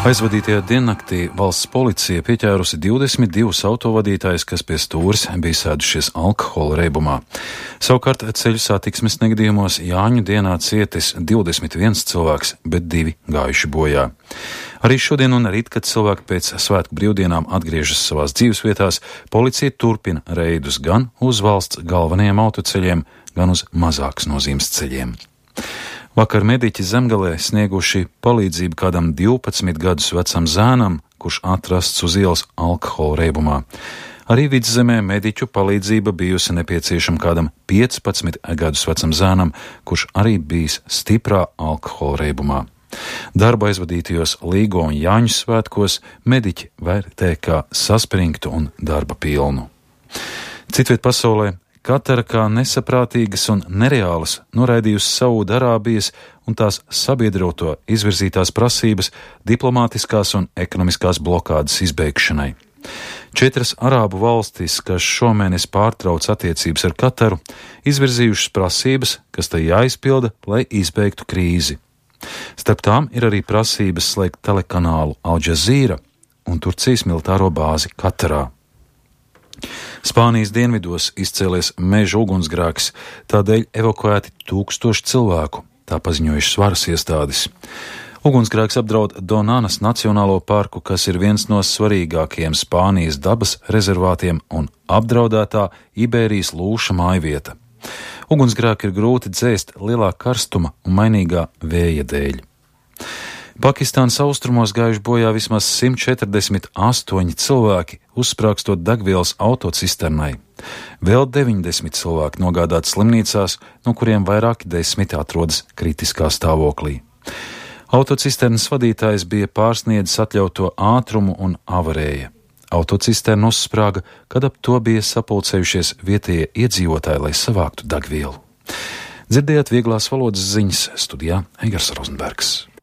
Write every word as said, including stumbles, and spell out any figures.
Aizvadītajā diennaktī valsts policija pieķērusi divdesmit divus autovadītājus, kas pie stūres bija sēdušies alkohola reibumā. Savukārt ceļu satiksmes negadījumos Jāņu dienā cietis divdesmit viens cilvēks, bet divi gājuši bojā. Arī šodien un rīt, kad cilvēki pēc svētku brīvdienām atgriežas savās dzīvesvietās, policija turpina reidus gan uz valsts galvenajiem autoceļiem, gan uz mazākas nozīmes ceļiem. Vakar mediķi Zemgalē snieguši palīdzību kādam divpadsmit gadus vecam zēnam, kurš atrasts uz ielas alkohola reibumā. Arī Vidzemē mediķu palīdzība bijusi nepieciešama kādam piecpadsmit gadus vecam zēnam, kurš arī bijis stiprā alkohola reibumā. Darba aizvadītajos Līgo un Jāņu svētkos mediķi vērtē kā saspringtu un darba pilnu. Citviet pasaulē Katara kā nesaprātīgas un nereālas noraidījusi Saūdarābijas un tās sabiedroto izvirzītās prasības diplomātiskās un ekonomiskās blokādes izbeigšanai. Četras arābu valstis, kas šomēnes pārtrauc attiecības ar Kataru, izvirzījušas prasības, kas tai jāizpilda, lai izbeigtu krīzi. Starp tām ir arī prasības slēgt telekanālu Al Jazeera un Turcijas militāro bāzi Katarā. Spānijas dienvidos izcēlies meža ugunsgrēks, tādēļ evakuēti tūkstoši cilvēku, tā paziņojušas varas iestādes. Ugunsgrēks apdraud Donanas nacionālo parku, kas ir viens no svarīgākajiem Spānijas dabas rezervātiem un apdraudētā Ibērijas lūša mājvieta. Ugunsgrēku ir grūti dzēst lielā karstuma un mainīgā vēja dēļ. Pakistānas austrumos gājuši bojā vismaz simt četrdesmit astoņi cilvēki, uzsprāgstot degvielas autocisternai. Vēl deviņdesmit cilvēki nogādāti slimnīcās, no kuriem vairāki desmiti atrodas kritiskā stāvoklī. Autocisternas vadītājs bija pārsniedzis atļauto ātrumu un avarēja. Autocisterna uzsprāga, kad ap to bija sapulcējušies vietējie iedzīvotāji, lai savāktu degvielu. Dzirdējāt vieglās valodas ziņas, studijā Eigars Rozenbergs.